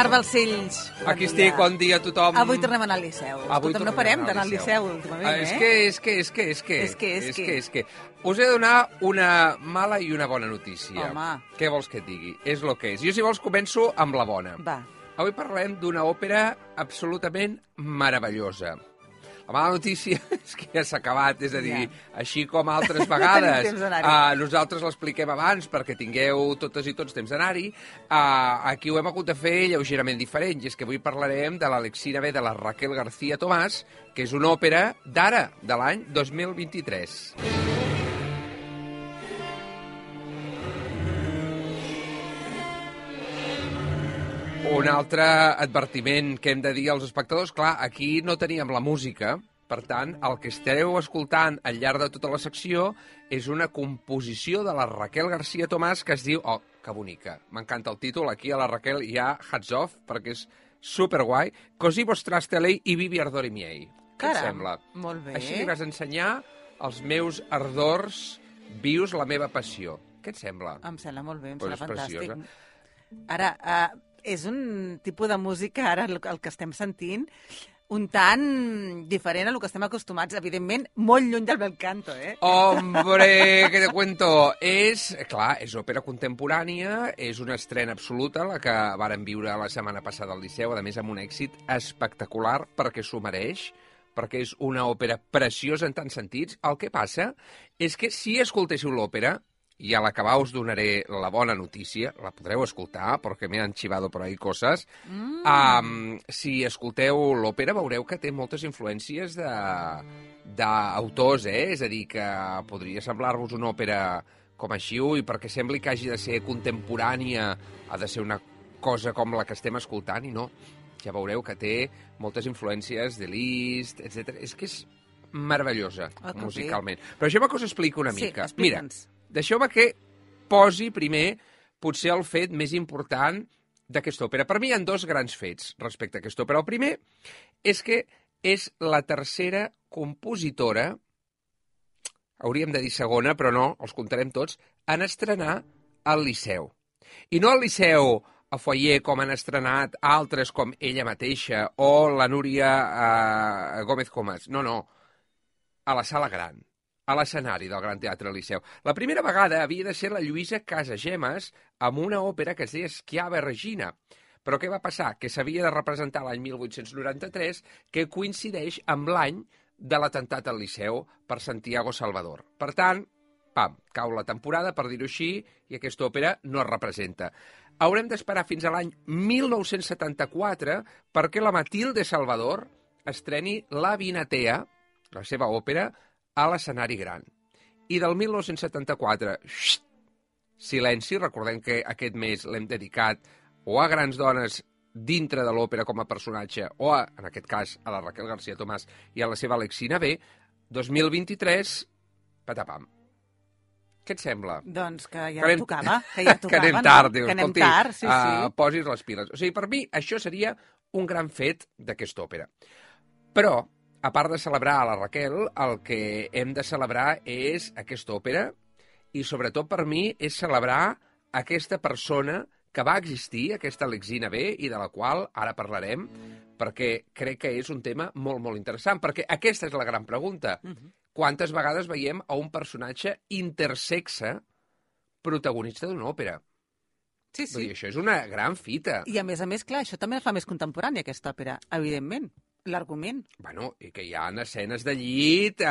Marc Balcells. Aquí estic, bon dia a tothom. Avui tornem a anar al Liceu. Escolta'm, no parem d'anar al Liceu últimament, És que us he de donar una mala i una bona notícia. Home. Què vols que et digui? És el que és. Jo, si vols, començo amb la bona. Va. Avui parlem d'una òpera absolutament meravellosa. La mala notícia és que ja s'ha acabat, és a dir, així com altres vegades, nosaltres l'expliquem abans perquè tingueu totes i tots temps d'anar-hi, aquí ho hem hagut de fer lleugerament diferent, i és que avui parlarem de l'Alexina B de la Raquel García Tomàs, que és una òpera d'ara, de l'any 2023. Un altre advertiment que hem de dir als espectadors, clar, aquí no teníem la música, per tant, el que esteu escoltant al llarg de tota la secció és una composició de la Raquel García Tomàs que es diu... Oh, que bonica, m'encanta el títol, aquí a la Raquel hi ha hats off, perquè és superguai. Così mostraste lei i vivi ardori miei. Què et sembla? Molt bé. Així li vas ensenyar els meus ardors vius, la meva passió. Què et sembla? Em sembla molt bé, em Pues sembla fantàstic. preciosa. Ara, és un tipus de música, ara, el que estem sentint, un tant diferent a lo que estem acostumats, evidentment, molt lluny del bel canto, eh? Hombre, què te cuento? Clar, és òpera contemporània, és una estrena absoluta, la que vàrem viure la setmana passada al Liceu, a més amb un èxit espectacular, perquè s'ho mereix, perquè és una òpera preciosa en tants sentits. El que passa és que si escoltéssiu l'òpera, i a l'acabar us donaré la bona notícia, la podreu escoltar, perquè m'he enxivado per ahí coses. Si escolteu l'òpera veureu que té moltes influències d'autors, És a dir, que podria semblar-vos una òpera com així, i perquè sembli que hagi de ser contemporània, ha de ser una cosa com la que estem escoltant, i no. Ja veureu que té moltes influències de Liszt, etc. És que és meravellosa, musicalment. Però deixeu-me que us expliqui una mica. Mira, deixeu-me que posi primer potser el fet més important d'aquesta òpera. Per mi hi ha dos grans fets respecte a aquesta òpera. El primer és que és la tercera compositora, hauríem de dir segona, però no, els comptarem tots, en estrenar al Liceu. I no al Liceu a Foyer, com han estrenat altres com ella mateixa o la Núria Gómez Comas. No, no, a la sala gran, a l'escenari del Gran Teatre Liceu. La primera vegada havia de ser la Lluïsa Casagemas amb una òpera que es deia Schiava Regina. Però què va passar? Que s'havia de representar l'any 1893, que coincideix amb l'any de l'atemptat al Liceu per Santiago Salvador. Per tant, pam, cau la temporada, per dir-ho així, i aquesta òpera no es representa. Haurem d'esperar fins a l'any 1974 perquè la Matilde Salvador estreni La Vinatea, la seva òpera, a l'escenari gran. I del 1974, silenci, recordem que aquest mes l'hem dedicat o a grans dones dintre de l'òpera com a personatge, o, en aquest cas, a la Raquel García Tomàs i a la seva Alexina B, 2023, patapam. Què et sembla? Doncs que ja tocava. Que anem tard, dius. Que anem tard, sí. Posis les piles. O sigui, per mi, això seria un gran fet d'aquesta òpera. Però, a part de celebrar a la Raquel, el que hem de celebrar és aquesta òpera i, sobretot, per mi, és celebrar aquesta persona que va existir, aquesta Alexina B, i de la qual ara parlarem, perquè crec que és un tema molt, molt interessant, perquè aquesta és la gran pregunta. Quantes vegades veiem a un personatge intersexe protagonista d'una òpera? Sí. Vull dir, això és una gran fita. I a més, clar, això també fa més contemporània, aquesta òpera, evidentment. L'argument. Bueno, i que hi ha escenes de llit,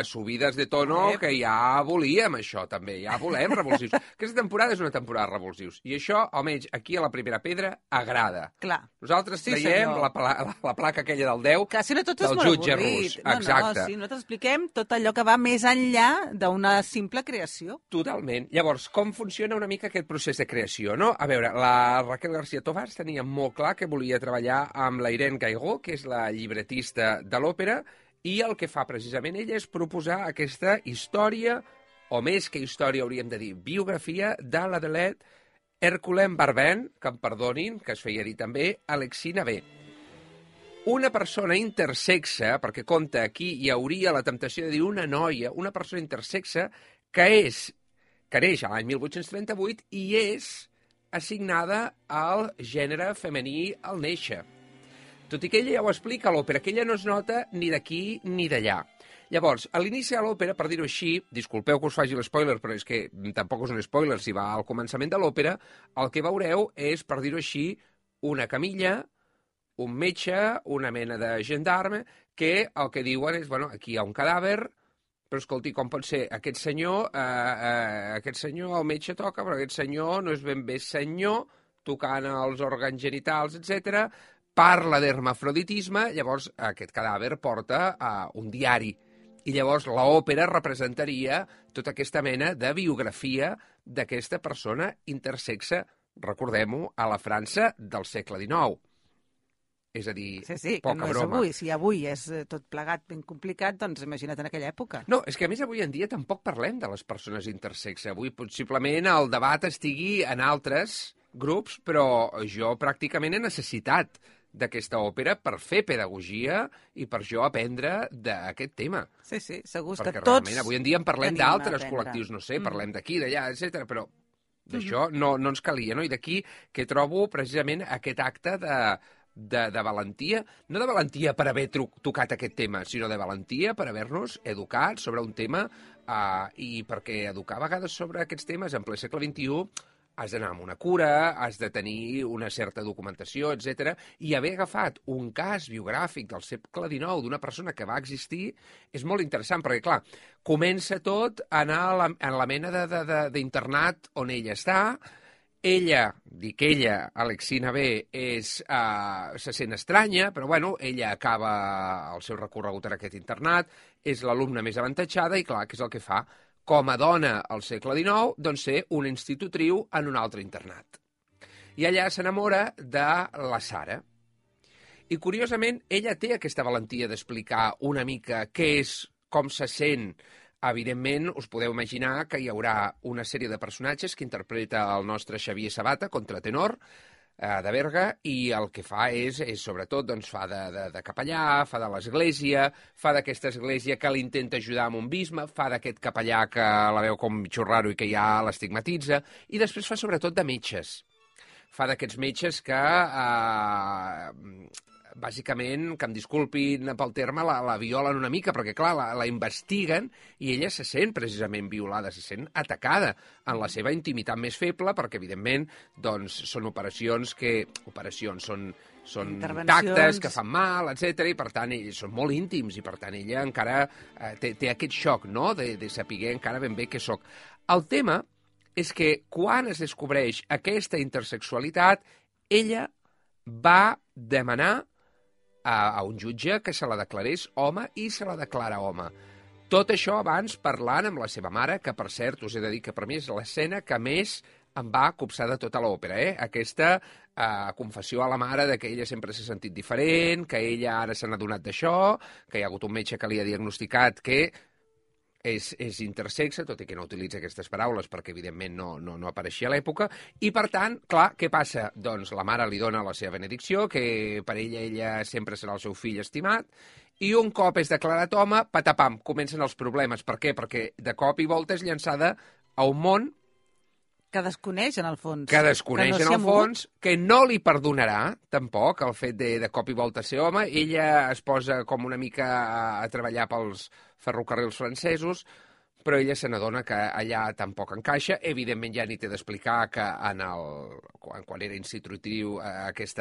subides de tono, que ja volíem això, també. Ja volem revulsius. Aquesta temporada és una temporada de revulsius. I això, almenys, aquí a la Primera Pedra, agrada. Clar. Nosaltres traiem la placa aquella del 10 del jutge rus. Exacte. Sí, nosaltres expliquem tot allò que va més enllà d'una simple creació. Totalment. Llavors, com funciona una mica aquest procés de creació, no? A veure, la Raquel García Tomàs tenia molt clar que volia treballar amb la Irene Gaigó, que és la llibretista de l'òpera, i el que fa precisament ella és proposar aquesta història, o més que història hauríem de dir, biografia de l'Adelaide Herculem Barbin, que em perdonin, que es feia dir també, Alexina B. Una persona intersexa, perquè compta aquí hi hauria la temptació de dir una noia, una persona intersexa que neix a l'any 1838 i és assignada al gènere femení al néixer. Tot i que ella ja ho explica a l'òpera, que ella no es nota ni d'aquí ni d'allà. Llavors, a l'inici de l'òpera, per dir-ho així, disculpeu que us faci l'espoiler, però és que tampoc és un spoiler, si va al començament de l'òpera, el que veureu és, per dir-ho així, una camilla, un metge, una mena de gendarme, que el que diuen és, bueno, aquí hi ha un cadàver, però escolti, com pot ser? Aquest senyor, el metge toca, però aquest senyor no és ben bé senyor, tocant els òrgans genitals, etc. Parla d'hermafroditisme, llavors aquest cadàver porta un diari. I llavors l'òpera representaria tota aquesta mena de biografia d'aquesta persona intersexe, recordem-ho, a la França del segle XIX. És a dir, sí, poca que no és broma. avui. Si avui és tot plegat ben complicat, doncs imagina't en aquella època. No, és que a més avui en dia tampoc parlem de les persones intersexe. Avui possiblement el debat estigui en altres grups, però jo pràcticament he necessitat d'aquesta òpera per fer pedagogia i per jo aprendre d'aquest tema. Sí, segur perquè que tots realment avui en dia en parlem tenim a d'altres aprendre. col·lectius, no sé, parlem d'aquí, d'allà, etc. però d'això no ens calia, no? I d'aquí que trobo precisament aquest acte de valentia, no de valentia per haver tocat aquest tema, sinó de valentia per haver-nos educat sobre un tema i perquè educar a vegades sobre aquests temes en ple segle XXI has d'anar amb una cura, has de tenir una certa documentació, etc. I haver agafat un cas biogràfic del segle XIX d'una persona que va existir és molt interessant, perquè, clar, comença tot a anar en la mena d'internat on ella està. Ella, Alexina B, se sent estranya, però bueno, ella acaba el seu recorregut en aquest internat, és l'alumna més avantatjada i clar, què és el que fa? Com a dona al segle XIX, doncs ser una institutriu en un altre internat. I allà s'enamora de la Sara. I curiosament, ella té aquesta valentia d'explicar una mica què és, com se sent. Evidentment, us podeu imaginar que hi haurà una sèrie de personatges que interpreta el nostre Xavier Sabata, contratenor, de Berga, i el que fa és sobretot, doncs, fa de capellà, fa de l'església, fa d'aquesta església que l'intenta ajudar amb un bisbe, fa d'aquest capellà que la veu com xurraro i que ja l'estigmatitza, i després fa sobretot de metges. Fa d'aquests metges que bàsicament, que em disculpin pel terme, la violen una mica, perquè, clar, la investiguen i ella se sent precisament violada, se sent atacada en la seva intimitat més feble, perquè, evidentment, doncs, són són tactes que fan mal, etc. I, per tant, són molt íntims, i, per tant, ella encara té aquest xoc, no?, de saber encara ben bé què soc. El tema és que, quan es descobreix aquesta intersexualitat, ella va demanar a un jutge que se la declarés home i se la declara home. Tot això abans parlant amb la seva mare, que per cert us he de dir que per mi és l'escena que més em va copsar de tota l'òpera, Aquesta confessió a la mare de que ella sempre s'ha sentit diferent, que ella ara se n'ha adonat d'això, que hi ha hagut un metge que li ha diagnosticat que és intersexe, tot i que no utilitza aquestes paraules perquè, evidentment, no apareixia a l'època. I, per tant, clar, què passa? Doncs la mare li dona la seva benedicció, que per ella sempre serà el seu fill estimat, i un cop és declarat home, patapam, comencen els problemes. Per què? Perquè de cop i volta és llançada a un món que desconeix, en el fons. Que no li perdonarà, tampoc, el fet de cop i volta ser home. Ella es posa com una mica a treballar pels ferrocarrils francesos, però ella se n'adona que allà tampoc encaixa. Evidentment, ja ni té d'explicar que quan era institutriu aquest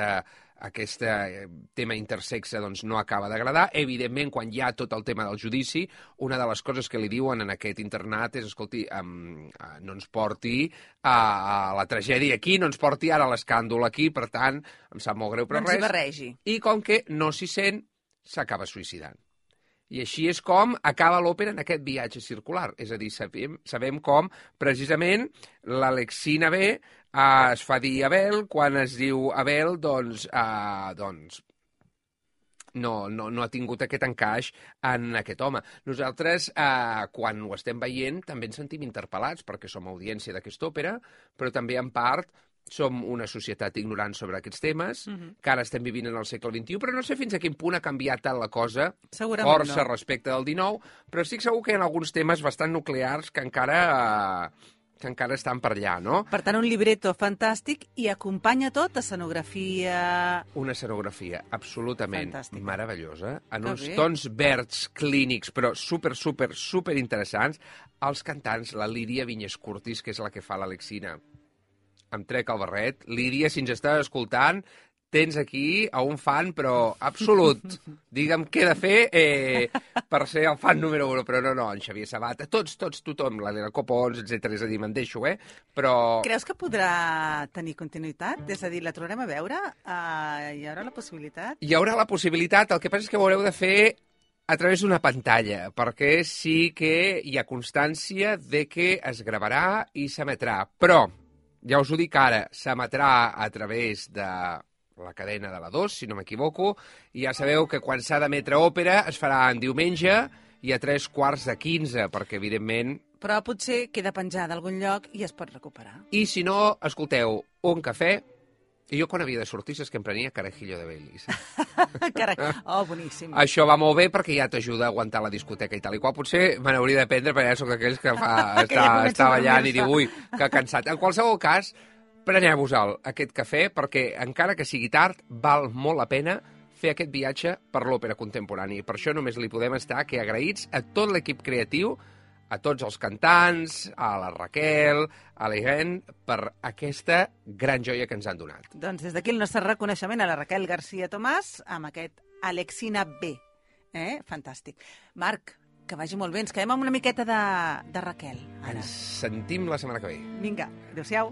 tema intersexe doncs, no acaba d'agradar. Evidentment, quan hi ha tot el tema del judici, una de les coses que li diuen en aquest internat és, escolti, no ens porti a la tragèdia aquí, no ens porti ara a l'escàndol aquí, per tant, em sap molt greu, però no ens hi barregi. I com que no s'hi sent, s'acaba suïcidant. I així és com acaba l'òpera en aquest viatge circular. És a dir, sabem com, precisament, l'Alexina B es fa dir Abel, quan es diu Abel, doncs no ha tingut aquest encaix en aquest home. Nosaltres, quan ho estem veient, també ens sentim interpel·lats, perquè som audiència d'aquesta òpera, però també, en part, som una societat ignorant sobre aquests temes, que ara estem vivint en el segle XXI, però no sé fins a quin punt ha canviat tant la cosa, força respecte del XIX, però estic segur que hi ha alguns temes bastant nuclears que encara que encara estan per allà, no? Per tant, un libreto fantàstic i acompanya tot escenografia... Una escenografia absolutament Fantàstica. meravellosa, en Que uns bé. tons verds clínics, però super interessants. Els cantants, la Lídia Vinyes Curtis, que és la que fa l'Alexina, em trec el barret. Lídia, si ens estàs escoltant, tens aquí a un fan, però absolut. Digue'm què he de fer per ser el fan número 1, però no, en Xavier Sabata, tots, tothom, l'Helena Copons, etc. És a dir, me'n deixo, però... Creus que podrà tenir continuïtat? És a dir, la tornarem a veure? Hi haurà la possibilitat? Hi haurà la possibilitat, el que passa és que ho haureu de fer a través d'una pantalla, perquè sí que hi ha constància de que es gravarà i s'emetrà. Però, ja us ho dic ara, s'emetrà a través de la cadena de la 2, si no m'equivoco, i ja sabeu que quan s'ha d'emetre òpera es farà en diumenge i a 3:15, perquè, evidentment... Però potser queda penjada a algun lloc i es pot recuperar. I si no, escolteu, un cafè, i jo quan havia de sortir és que em prenia carajillo de Baileys. Carai, boníssim. Això va molt bé perquè ja t'ajuda a aguantar la discoteca i tal i qual. Potser me n'hauria de prendre perquè ja soc d'aquells que està ballant i diu, ui, que cansat. En qualsevol cas, preneu-vos-el, aquest cafè, perquè encara que sigui tard, val molt la pena fer aquest viatge per l'òpera contemporània. I per això només li podem estar que agraïts a tot l'equip creatiu, a tots els cantants, a la Raquel, a l'Irene, per aquesta gran joia que ens han donat. Doncs des d'aquí el nostre reconeixement a la Raquel García Tomàs amb aquest Alexina B. Fantàstic. Marc, que vagi molt bé. Ens quedem amb una miqueta de Raquel. Ara. Ens sentim la setmana que ve. Vinga, adéu-siau.